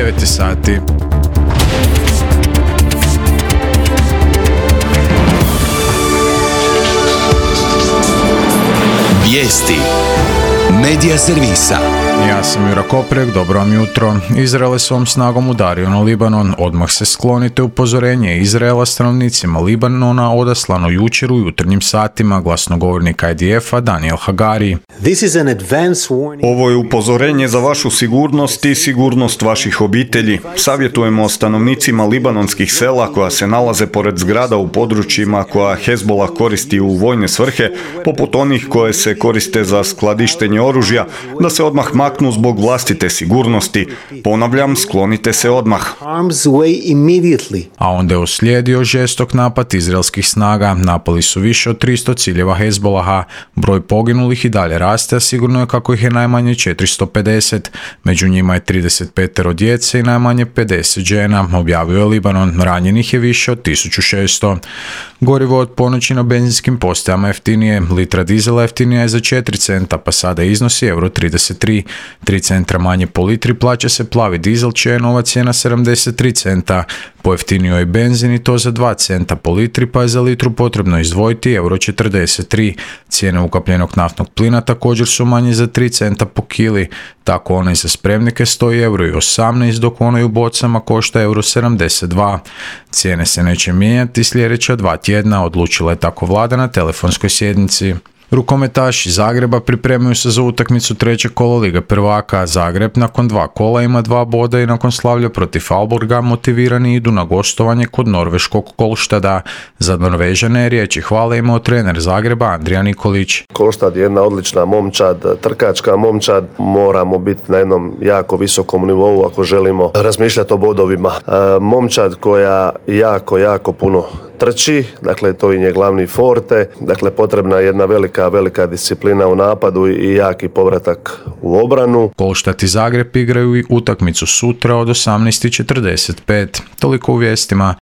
9 sati. Vijesti Medija servisa. Ja sam Jura Koprek, dobro vam jutro. Izrael je svom snagom udario na Libanon. Odmah se sklonite, upozorenje Izraela stanovnicima Libanona odaslano jučer u jutarnjim satima, glasnogovornik IDF-a Daniel Hagari. Ovo je upozorenje za vašu sigurnost i sigurnost vaših obitelji. Savjetujemo stanovnicima libanonskih sela koja se nalaze pored zgrada u područjima koja Hezbollah koristi u vojne svrhe, poput onih koje se koriste za skladištenje oružja, da se odmah maknu zbog vlastite sigurnosti. Ponavljam, sklonite se odmah. A onda je uslijedio žestok napad izraelskih snaga. Napali su više od 300 ciljeva Hezbollaha. Broj poginulih i dalje raste, a sigurno je kako ih je najmanje 450. Među njima je 35 djece i najmanje 50 žena. Objavio je Libanon. Ranjenih je više od 1600. Gorivo od ponoći na benzinskim postajama jeftinije. Litra dizela jeftinija je za 4 centa, pa sada iznosi €33. 3 centra manje po litri plaća se plavi dizel, čija je nova cijena 73 centa. Pojeftinio je benzin i to za 2 centa po litri, pa je za litru potrebno izdvojiti €43. Cijene ukapljenog naftnog plina također su manje za 3 centa po kili. Tako onaj za spremnike stoji €18, dok onaj u bocama košta €72. Cijene se neće mijenjati sljedeća 2 tjedna, odlučila je tako vlada na telefonskoj sjednici. Rukometaši Zagreba pripremaju se za utakmicu trećeg kola Lige prvaka. Zagreb nakon 2 kola ima 2 boda i nakon slavlja protiv Alborga motivirani idu na gostovanje kod norveškog Kolštada. Za Norvežane riječi hvale imao trener Zagreba Andrija Nikolić. Kolštad je jedna odlična momčad, trkačka momčad. Moramo biti na jednom jako visokom nivou ako želimo razmišljati o bodovima. Momčad koja jako puno trči, dakle to im je glavni forte, dakle potrebna je jedna velika disciplina u napadu i jaki povratak u obranu. Kolštat i Zagreb igraju i utakmicu sutra od 18:45. Toliko u vijestima.